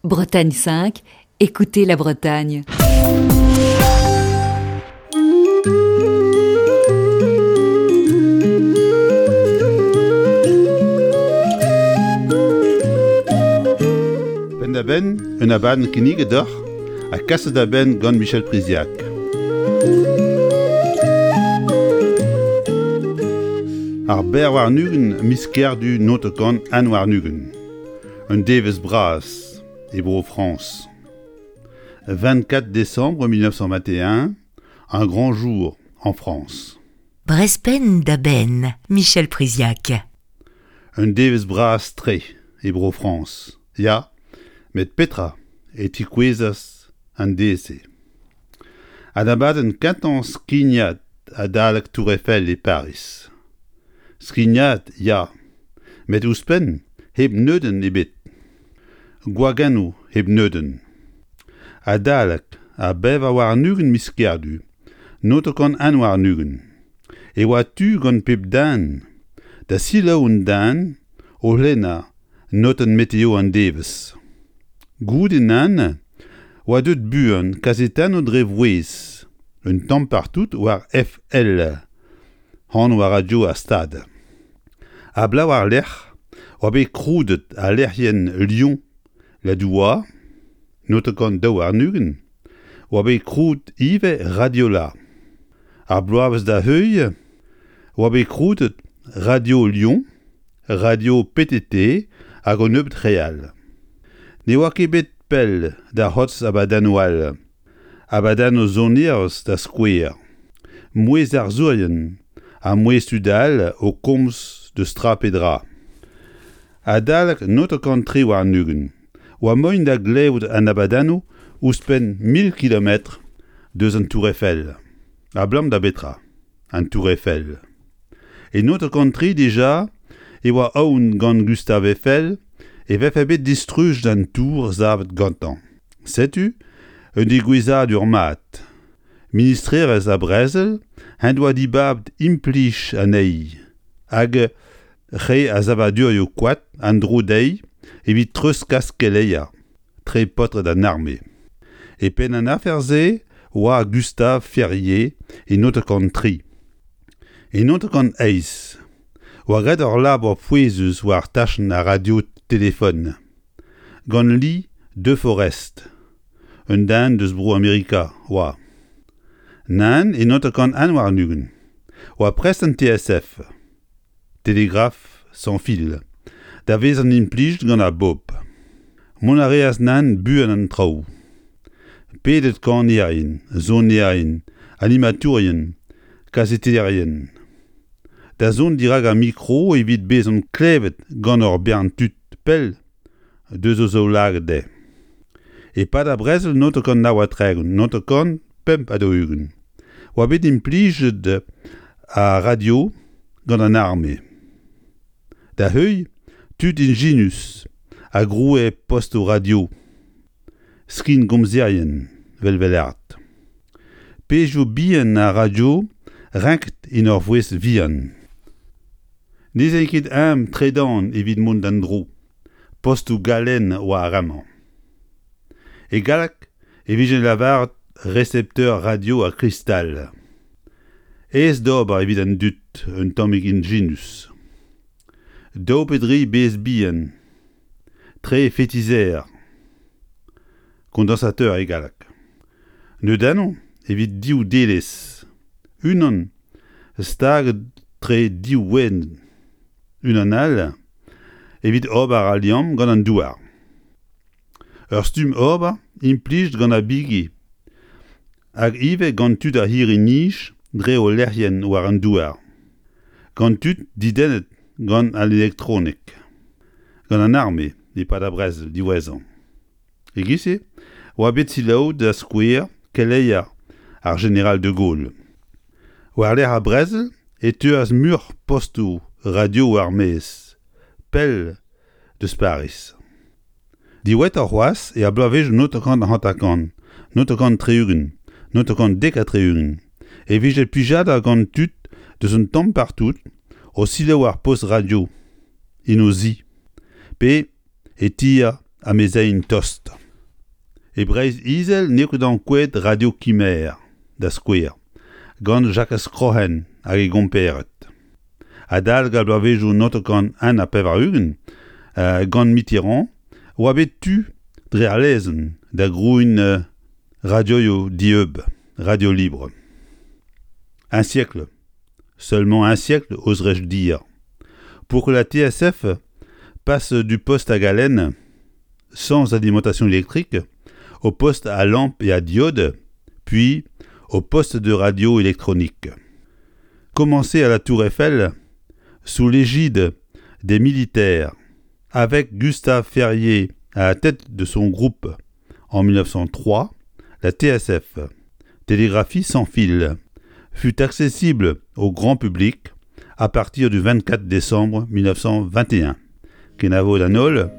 Bretagne 5, écoutez la Bretagne. Penn-da-benn, un abadenn kinniget deoc'h ha kaset da benn gant Michel Priziac. Ar berr warn-ugent miz Kerdu notekant an warn-ugent. Un devezh bras e Bro-Frañs. 24 décembre 1921, un grand jour en France. Brezpenn da benn, Michel Priziac. Un devezh bras-tre e Bro-Frañs, ya, met petra e tikouezas an deiz-se? An abadenn kentañ skignad adalek Tour Eiffel e Pariz. Skignad, ya, met ouzhpenn hep neudenn ebet. Gwagennoù hep neudenn. Adalek ar 24 miz Kerdu 1921 e oa tu gant pep den da selaou un den o lennañ notenn meteo an devezh. Goude nann oa deuet buan kazetennoù dre vouezh un tamm partout war FL, anv ar radio ar Stad. Ha bloaz war-lerc'h oa bet kroudet al lec'hienn Lyon Ladoua, 1922, oa bet krouet ivez Radiola. Ar bloavezh da heuilh oa bet krouet Radio Lyon, Radio PTT hag un nebeud re all. Ne oa ket bet pell da c'hortoz abadennoù all, abadennoù sonerezh da skouer, mouezh arzourien ha mouezh tud all o komz deus tra pe dra. Adalek 1923 oa moaien da glevout an abadennoù ouzhpenn 1000 kilometr deus an Tour Eiffel. Abalamour da betra an Tour Eiffel? E 1903 dija e oa aon gant Gustave Eiffel e vefe bet distrujet an tour savet gantañ. Setu un degouezhadur mat. Ministrerezh ar brezel en doa dibabet implij anezhi hag re a savadurioù koad en-dro dezhi evit treuzkas keleier tre paotred an arme. E penn an afer-se oa Gustave Ferrier e 1903. E 1908 oa graet ur labour pouezus war tachenn ar radio-telefon gant Lee De Forest, un den deus Bro-Amerika oa. Nann e 1921 oa prest an TSF. Télégraphe sans fil, da vezañ implijet gant ar bobl. Mont a reas nann buan an traoù. Pedet kanerien, sonerien, animatourien, kazetennerien da zont dirak ar mikro evit bezañ klevet gant ur bern tud pell deus o zaoulagad dezhe. E-pad ar brezel 1939, 1945 oa bet implijet ar radio gant an arme. Da heuilh tud injinus a groue postoù radio, skingomzerien 'vel Vellard. Pezhioù bihan ar radio renket en ur voest vihan. Ne 'z ae ket eñ tredan evit mont d'an dro. Postoù galen oa ar re-mañ. E galleg e vije lavaret resepteur radio ha kristal. Aes d'ober evit an dud un tammig injinus. Daou pe dri bezh bihan, tre fetizer, kondañsateur e galleg. Neudennoù evit div delez, unan staget tre div ouenn, unan all evit ober al liamm gant an douar. Ur stumm ober implijet gant ar bigi hag ivez gant tud ar c'hirri-nij dre o lec'hienn war an douar, gant tud dedennet gant al elektronek, gant an arme e-pad ar brezel diwezhañ. E-giz-se oa bet selaouet da skouer keleier ar jeneral de Gaulle. War-lerc'h ar brezel e teuas muioc'h postoù radio war-maez, pell deus Pariz. Diwezhatoc'h c'hoazh er bloavezhioù 1950, 1960, 1970 e vije plijadur gant tud deus un tamm partout o selaou ar post radio en o zi pe e ti amezeien tost. E Breizh-Izel n'eo ket ankouaet Radio Kimer, da skouer, gant Jakez Kroc'hen hag e gompered. Adalek ar bloavezhioù 1981, gant Mitterrand, oa bet tu, dre ar lezenn, da grouiñ radioioù dieub, radio libre. Un siècle, seulement un siècle, oserais-je dire, pour que la TSF passe du poste à galène sans alimentation électrique au poste à lampe et à diode, puis au poste de radio électronique. Commencé à la Tour Eiffel, sous l'égide des militaires, avec Gustave Ferrier à la tête de son groupe en 1903, la TSF, télégraphie sans fil, fut accessible au grand public à partir du 24 décembre 1921. Kenavo d'an holl,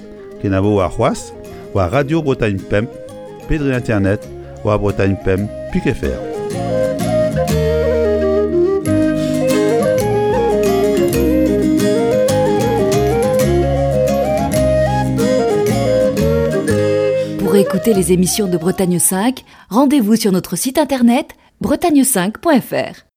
kenavo warc'hoazh war Radio Bretagne Pemp pe dre internet war Bretagne Pemp pik.fr. Pour écouter les émissions de Bretagne 5, rendez-vous sur notre site internet bretagne5.fr.